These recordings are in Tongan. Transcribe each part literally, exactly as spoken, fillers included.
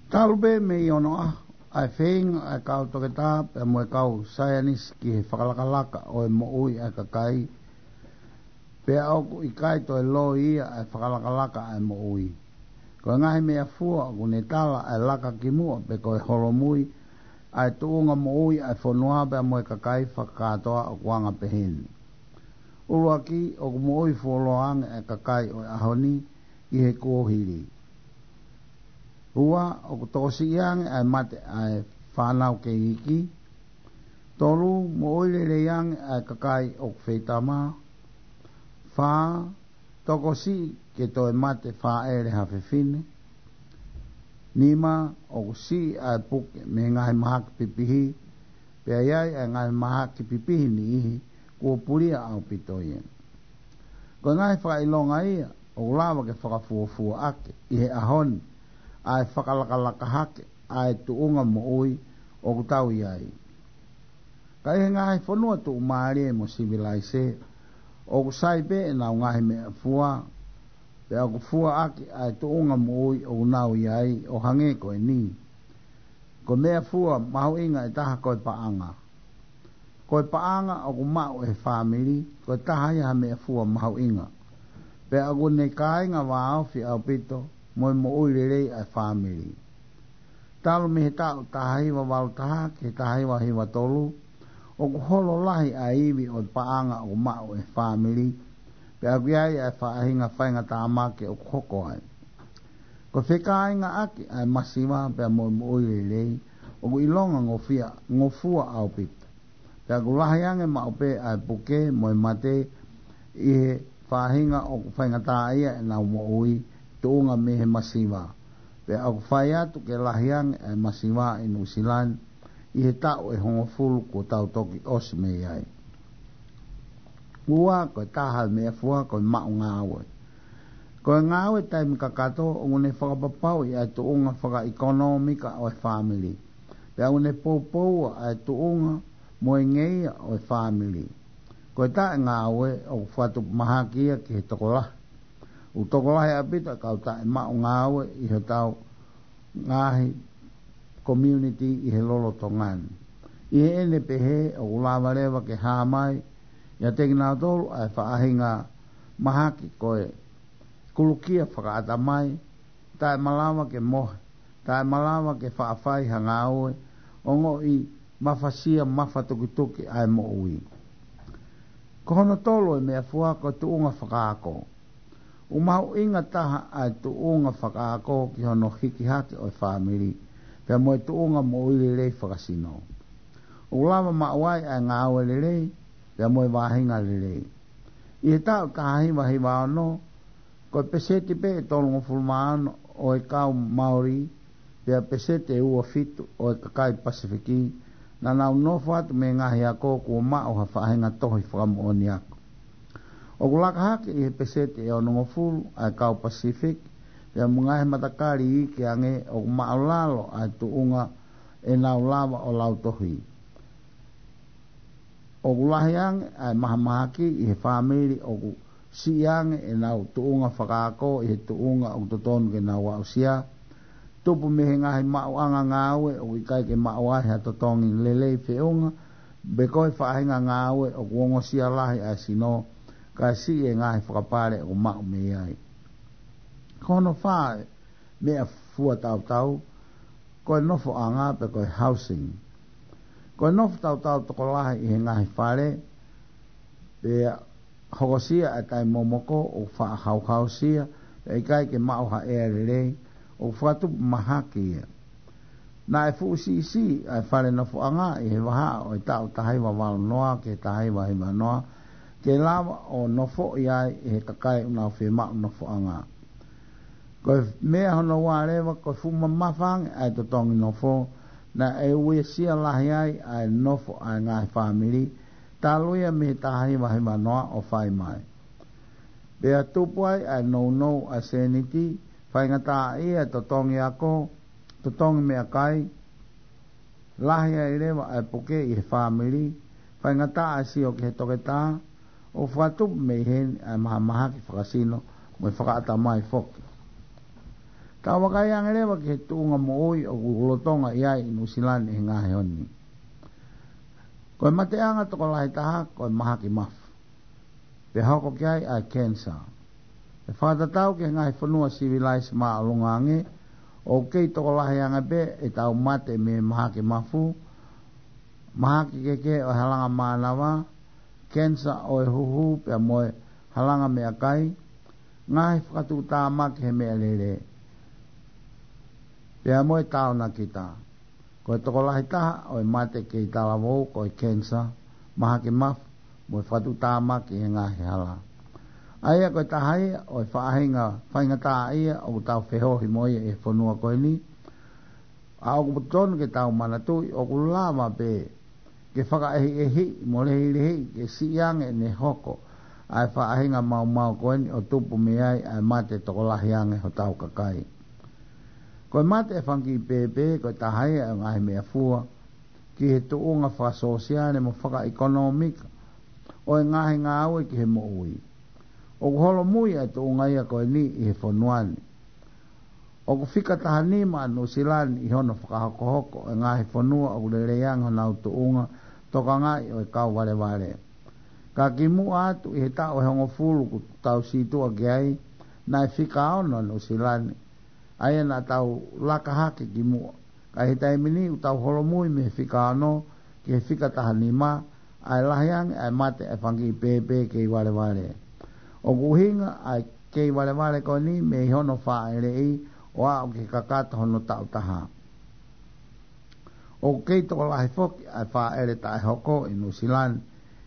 Talu pē mei onoʻaho ʻa e feinga ʻa e kau toketā pea mo e kau saienisi ki he fakalakalaka ʻo e moʻui ʻa e kakai, pea ʻoku ʻikai toe loi ia ʻa e fakalakalaka ʻa e moʻui. Ko e ngaahi meʻafua ʻoku ne tala ʻa e laka ki muʻa pe ko e holomui ʻa e tuʻunga moʻui ʻa e fonua pea mo e kakai fakakātoa ʻoku anga peheni. ʻUluaki, ʻoku moʻui fuoloa ange ʻa e kakai ʻo e ʻaho ni ʻi he kuohili. Ua, ʻoku tokosiʻi ange ʻa e mate ʻa e fānau kei iiki. Tolu, moʻui lelei ange ʻa e kakai ʻoku feitama. Fā, tokosiʻi ke toe mate fāʻele ha fefine. Nima, ʻoku siʻi ʻa e puke mei he ngaahi mahaki pipihi, pea ʻi ai ʻa e ngaahi mahaki pipihi niʻihi kuo pulia ʻaupito ia. Ko e ngaahi fakaʻilonga ia ʻoku lava ke fakafuofuaʻaki ʻi he ʻaho ni ʻa e fakalakalaka hake ʻa e tuʻunga moʻui ʻoku tau ʻi ai. Ka ʻi he ngaahi fonua tuʻumālie mo sivilaise, ʻoku sai pē ʻenau ngaahi meʻafua, pea ʻoku fuaʻaki ʻa e tuʻunga moʻui ʻoku nau ʻi ai ʻo hangē ko eni. Ko e meʻafua mahuʻinga ʻe taha ko e paʻanga. Ko e paʻanga ʻoku maʻu ʻe he fāmili, ko e taha ia ha meʻafua mahuʻinga. Pea ʻoku ne kāinga vāofi ʻaupito mo e moʻui lelei ʻa e fāmili. Talu mei he taʻu taha hiva valu taha ki he taha hiva hiva tolu, ʻoku holo lahi ʻa e ivi ʻo e paʻanga ʻoku maʻu ʻe he fāmili, pea ʻoku ʻi ai ʻa e faʻahinga faingatāmaki ʻoku hoko ai. Ko e fekāingaʻaki ʻa e masiva pea mo e moʻui lelei, ʻoku ʻilonga ngofia, ngofua ʻaupito. Pea ʻoku lahi ange maʻu pē ʻa e puke mo e mate ʻi he faʻahinga ʻoku faingataʻaʻia ʻenau moʻui tuʻunga mei he masiva. Pea ʻoku fai atu ke lahi ange ʻa e masiva ʻi Nuʻusila ni ʻi he taʻu ʻe hongofulu kuo tau toki ʻosi mei ai. Ua, ko e taha e meʻafua, ko e maʻu ngāue. Ko e ngāue taimi kakato, ʻoku ne fakapapauʻi ʻa e tuʻunga fakaʻekonōmika ʻo e fāmili. Pea ʻoku ne poupoua ʻa e tuʻunga mo e ngeia ʻo e fāmili. Ko e taʻe ngāue, ʻoku fakatupu mahaki ia ki he tokolahi. ʻOku tokolahi ʻaupito ʻa e kau taʻe maʻu ngāue ʻi hotau ngaahi community ʻi he lolotonga ni. ʻI heʻene pehē, ʻoku lava leva ke hā mai ʻiate kinautolu ʻa e faʻahinga mahaki ko e kulukia fakaʻatamai, taʻe malava ke mohe, taʻe malava ke faʻa fai ha ngāue, ongoʻi mafasia mafatukituki ʻa e moʻui. Ko hono tolu e meʻafua, ko e tuʻunga fakaako. ʻOku mahuʻinga taha ʻa e tuʻunga fakaako ki hono hiki hake ʻo e fāmili, pea mo e tuʻunga moʻui lelei fakasino. ʻOku lava maʻu ai ʻa e ngāue lelei, pea mo e vaʻinga lelei. ʻI he taʻu taha hiva hiva ono, ko e peseti pē ʻe tolungofulu mā ono ʻo e kau Maori, pea peseti ʻe ua fitu ʻo e kakai Pasifiki, naʻa nau nofo atu mei he ngaahi ako kuo maʻu ha faʻahinga tohi fakamoʻoni ako. ʻOku laka hake ʻi he peseti ʻe onongofulu ʻa e kau Pasifiki, pea mo e ngaahi matakali iiki ange ʻoku māʻulalo ʻa e tuʻunga ʻenau lava ʻo lautohi. ʻOku lahi ange ʻa e mahamahaki ʻi he fāmili ʻoku siʻi ange ʻenau tuʻunga fakaako ʻi he tuʻunga ʻoku totonu ke nau aʻusia. Tupu mei he ngaahi maʻuʻanga ngāue ʻoku ʻikai ke maʻu ai ha totongi lelei feʻunga pe ko e faʻahinga ngāue ʻoku ongosia lahi ʻa e sino, kae siʻi e ngaahi fakapale ʻoku maʻu mei ai. Ko hono fā e meʻafua tautau, ko e nofoʻanga pe ko e housing. Ko e nofo tautau tokolahi ʻi he ngaahi fale, pea hokosia ʻa e taimi momoko ʻoku faʻa hauhausia, pea ʻikai ke maʻu ha ʻea lelei, ʻoku fakatupu mahaki ia. Naʻe fuʻu siʻisiʻi ʻa e fale nofoʻanga ʻi he vahaʻa ʻo e taʻu taha hiva valu noa ki he taha hiva hiva noa, ke lava ʻo nofoʻi ai ʻe he kakai ʻoku nau fiemaʻu nofoʻanga. Ko e meʻa hono ua leva, ko e fuʻu mamafa ange ʻa e totongi nofo, naʻe uesia lahi ai ʻa e nofo ʻa e ngaahi fāmili, talu ia mei he taha hiva hiva noa ʻo fai mai. Pea tupu ai ʻa e nounou ʻa e sēniti, faingataʻaʻia e totongi ako, totongi meʻakai, lahi ai leva ʻa e puke ʻi he fāmili, faingataʻa e sio ki he toketā, ʻo fakatupu mei heni ʻa e mahamahaki fakasino mo e fakaʻatamai foki. Tau vakai ange leva ki he tuʻunga moʻui ʻoku lolotonga ʻi ai ʻi Nuʻusila ni he ngaahi ʻaho ni. Ko e mateʻanga tokolahi taha ko e mahaki mafu, pea hoko ki ai ʻa e cancer. ʻI he fakatatau ki he ngaahi fonua sivilaise māʻolunga ange, ʻoku kei tokolahi ange pē ʻetau mate mei he mahaki mafu, mahaki kehekehe ʻo e halanga mānava, cancer ʻo e huhu pea mo e halanga meʻakai, ngaahi fakatuʻutāmaki he meʻalele, pea mo e taonakita. Ko e tokolahi taha ʻo e mate kei talavou ko e cancer, mahaki mafu, mo e fakatuʻutāmaki he ngaahi hala. ʻA ia ko e taha ia ʻo e faʻahinga faingataʻaʻia ʻoku tau feohi mo ia ʻi he fonua ko eni, ʻa ʻoku totonu ke tau manatuʻi ʻoku lava pē ke fakaʻehiʻehiʻi mo lehilehiʻi ke siʻi ange ʻene hoko ʻa e faʻahinga maumau ko eni ʻo tupu mei ai ʻa e mate tokolahi ange hotau kakai. Ko e mate ʻa e fanga kiʻi pēpē ko e taha ia ʻo e ngaahi meʻafua ki he tuʻunga fakasōsiale mo fakaʻekonōmika ʻo e ngaahi ngāue ki he moʻui. ʻOku holomui ʻa e tuʻunga ia ko eni ʻi he fonua ni. ʻOku fika taha nima ʻa Nuʻusila ni ʻi hono fakahokohoko ʻo e ngaahi fonua ʻoku lelei ange honau tuʻunga tokangaʻi ʻo e kau valevale. Ka kimuʻa atu ʻi he taʻu ʻe hongofulu kuo tau sītuʻa ki ai, naʻe fika ono ʻa Nuʻusila ni. ʻA ia naʻa tau laka hake kimuʻa. Ka ʻi he taimi ni ʻoku tau holomui mei he fika ono ki he fika taha nima, ʻa e lahi ange ʻa e mate ʻa e fanga kiʻi pēpē kei valevale. ʻOku ʻuhinga ʻa e kei valevale ko eni mei hono fāʻeleʻi ʻo aʻu ki he kakato hono taʻu taha. ʻOku kei tokolahi foki ʻa e fāʻele taʻehoko ʻi Nuʻusila ni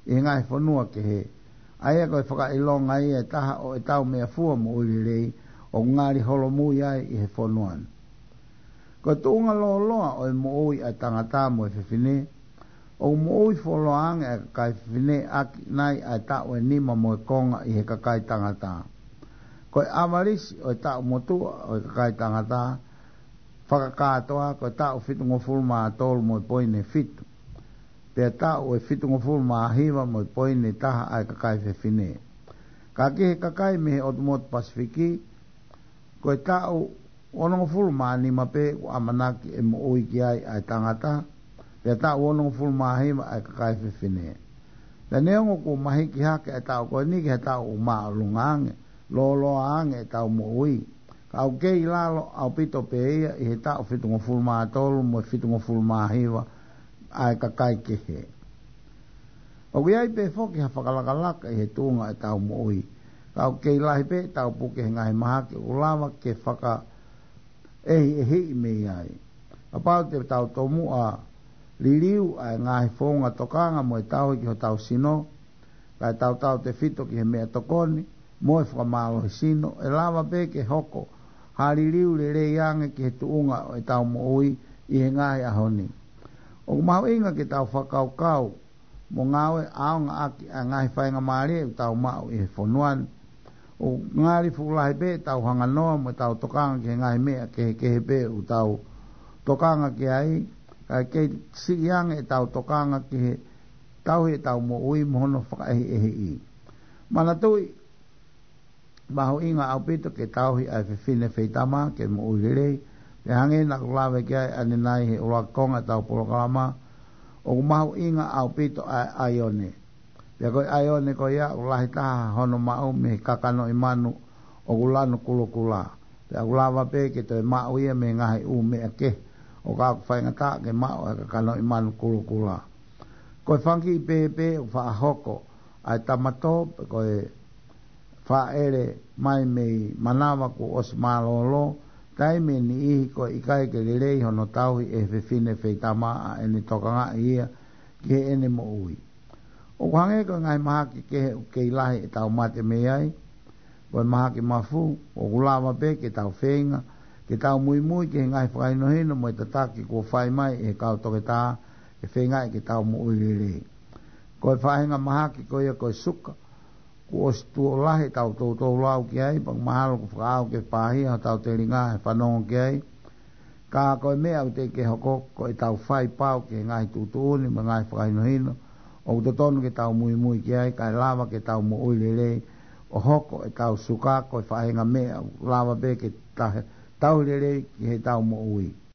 ʻi he ngaahi fonua kehe. ʻA ia ko e fakaʻilonga ia ʻe taha ʻo ʻetau meʻafua moʻui lelei ʻoku ngali holomui ai ʻi he fonua ni. Ko e tuʻunga lōloa ʻo e moʻui ʻa e tangata mo e fefine, ʻoku moʻui fuoloa ange ʻa e kakai fefine ʻaki nai ʻa e taʻu ʻe nima mo e konga ʻi he kakai tangata. Ko e ʻavalisi ʻo e taʻu motuʻa ʻo e kakai tangata fakakātoa ko e taʻu fitungofulu mā tolu mo e poini fitu. Pea taʻu ʻe fitungofulu mā hiva mo e poini taha ʻa e kakai fefine. Ka ki he kakai mei he ʻotu motu Pasifiki, ko e taʻu onongofulu mā nima pē ʻoku ʻamanaki ʻe moʻui ki ai ʻa e tangata, pea taʻu onongofulu mā hiva ʻa e kakai fefine. Pea neongo kuo mahiki hake ʻa e taʻu ko eni ki he taʻu ʻoku māʻolunga ange, lōloa ange ʻetau moʻui, ka ʻoku kei lalo ʻaupito pē ia ʻi he taʻu fitungofulu mā tolu mo e fitungofulu mā hiva ʻa e kakai kehe. ʻOku ʻi ai pē foki ha fakalakalaka ʻi he tuʻunga ʻetau moʻui, ka ʻoku kei lahi pē ʻetau puke he ngaahi mahaki ʻoku lava ke fakaʻehiʻehiʻi mei ai. Kapau te tau tomuʻa liliu ʻa e ngaahi founga tokanga mo e tauhi ki hotau sino, kae tautautefito ki he meʻatokoni mo e fakamālohisino, ʻe lava pē ke hoko ha liliu lelei ange ki he tuʻunga ʻo ʻetau moʻui ʻi he ngaahi ʻaho ni. ʻOku mahuʻinga ke tau fakakaukau mo ngāue ʻaonga ʻaki ʻa e ngaahi faingamālie ʻoku tau maʻu ʻi he fonua ni. ʻOku ngali fuʻu lahi pē ʻetau hanganoa mo ʻetau tokanga ki he ngaahi meʻa kehekehe pē ʻoku tau tokanga ki ai, kae kei siʻi ange ʻetau tokanga ki he tauhi ʻetau moʻui mo hono fakaʻehiʻehiʻi. Manatuʻi, mahuʻinga ʻaupito ke tauhi ʻa e fefine feitama ke moʻui lelei. Pea hangē naʻa ku lave ki ai ʻanenai he ʻuluaki konga ʻetau polokalama, ʻoku mahuʻinga ʻaupito ʻa e ʻaione. Pea ko e ʻaione ko ia ʻoku lahi taha hono maʻu mei he kakanoʻi manu ʻoku lanu kulokula. Pea ʻoku lava pē ke toe maʻu ia mei he ngaahi ʻū meʻa kehe, ʻo ka ʻoku faingataʻa ke maʻu ʻa e kakanoʻi manu kulokula. Ko e fanga kiʻi pēpē ʻoku faʻa hoko ʻa e tamatō, pe ko e fāʻele mai mei manava kuo ʻosi mālōlō, taimi ʻe niʻihi ko e ʻikai ke lelei hono tauhi ʻe he fefine feitama ʻa ʻene tokangaʻi ia ki heʻene moʻui. ʻOku hangē ko e ngaahi mahaki kehe ʻoku kei lahi ʻetau mate mei ai, ko e mahaki mafu, ʻoku lava pē ke tau feinga ke tau muimui ki he ngaahi fakahinohino mo e tataki kuo fai mai ʻe he kau toketā ke feingaʻi ke tau moʻui lelei. Ko e faʻahinga mahaki ko ia ko e suka, kuo ʻosi tuʻo lahi ʻetau toutou lau ki ai, pea mahalo kuo fakaʻau ke pāhia hotau telinga he fanongo ki ai. Ka ko e meʻa ʻoku teʻeki ke hoko, ko ʻetau fai pau ki he ngaahi tuʻutuʻuni mo e ngaahi fakahinohino ʻoku totonu ke tau muimui ki ai, kae lava ke tau moʻui lelei, ʻo hoko ʻetau suka ko e faʻahinga meʻa ʻoku lava pē ke tahe tauhi lelei ki heʻetau moʻui.